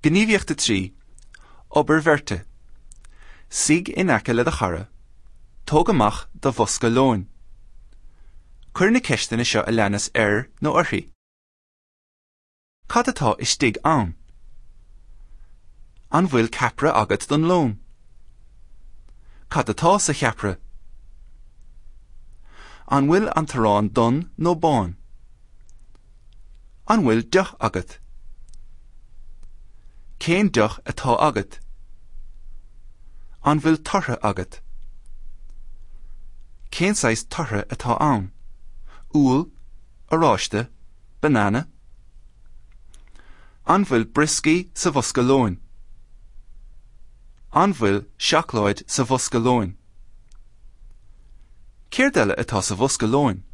Gníomhaíocht 3, Obair Bheirte. Suigh in aice le do chara. Tóg amach do bhosca lóin. Cuir na ceisteanna seo a leanas air nó uirthi. Cad atá istigh ann? An bhfuil ceapaire agat don lón? Cad atá sa cheapaire? An bhfuil an t-arán donn nó bán? An bhfuil deoch agat? Cén deoch atá agat? An bhfuil torthaí agat? Cén saghas torthaí atá ann? Úll, oráiste, banana? An bhfuil brioscaí sa bhosca lóin? An bhfuil seacláid sa bhosca lóin? Céard eile atá sa bhosca lóin?